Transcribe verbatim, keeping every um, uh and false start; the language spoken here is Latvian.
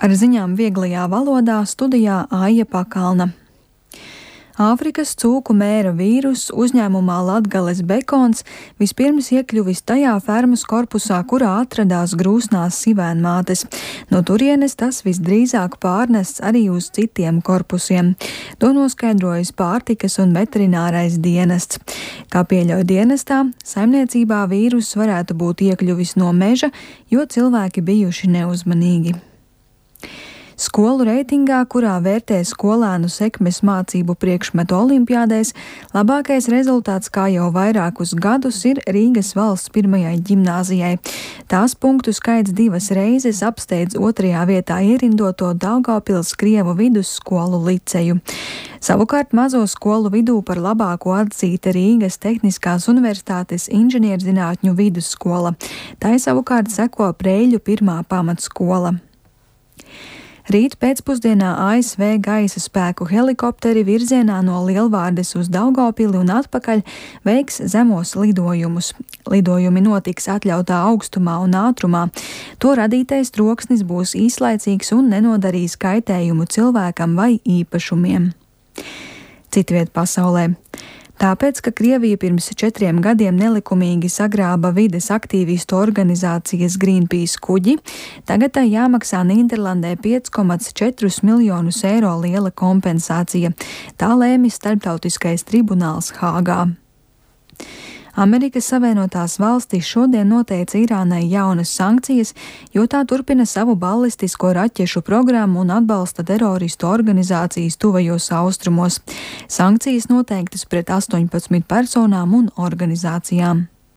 Ar ziņām vieglajā valodā studijā Aija Pakalna. Āfrikas cūku mēra vīruss uzņēmumā Latgales Bekons vispirms iekļuvis tajā fermas korpusā, kurā atradās grūsnās sivēnmātes. No turienes tas visdrīzāk pārnests arī uz citiem korpusiem. To noskaidrojas pārtikas un veterinārais dienests. Kā pieļauj dienestā, saimniecībā vīruss varētu būt iekļuvis no meža, jo cilvēki bijuši neuzmanīgi. Skolu reitingā, kurā vērtē skolēnu sekmes mācību priekšmetu olimpiādēs, labākais rezultāts kā jau vairākus gadus ir Rīgas valsts pirmajai ģimnāzijai. Tās punktu skaits divas reizes apsteidz otrajā vietā ierindoto Daugavpils Krievu vidusskolu liceju. Savukārt mazo skolu vidū par labāko atzīta Rīgas Tehniskās universitātes inženierzinātņu vidusskola. Tai savukārt seko Preļu pirmā pamatskola. Rīt pēcpusdienā A S V gaisa spēku helikopteri virzienā no Lielvārdes uz Daugavpili un atpakaļ veiks zemos lidojumus. Lidojumi notiks atļautā augstumā un ātrumā. To radītais troksnis būs īslaicīgs un nenodarīs kaitējumu cilvēkam vai īpašumiem. Citviet pasaulē. Tāpēc, ka Krievija pirms četriem gadiem nelikumīgi sagrāba vides aktīvistu organizācijas Greenpeace kuģi, tagad tai jāmaksā Nīderlandē pieci komats četri miljonus eiro liela kompensācija. Tā lēmis starptautiskais tribunāls Hāgā. Amerikas Savienotās valstis šodien noteica Irānai jaunas sankcijas, jo tā turpina savu balistisko raķešu programmu un atbalsta teroristu organizācijas tuvajos austrumos. Sankcijas noteiktas pret astoņpadsmit personām un organizācijām.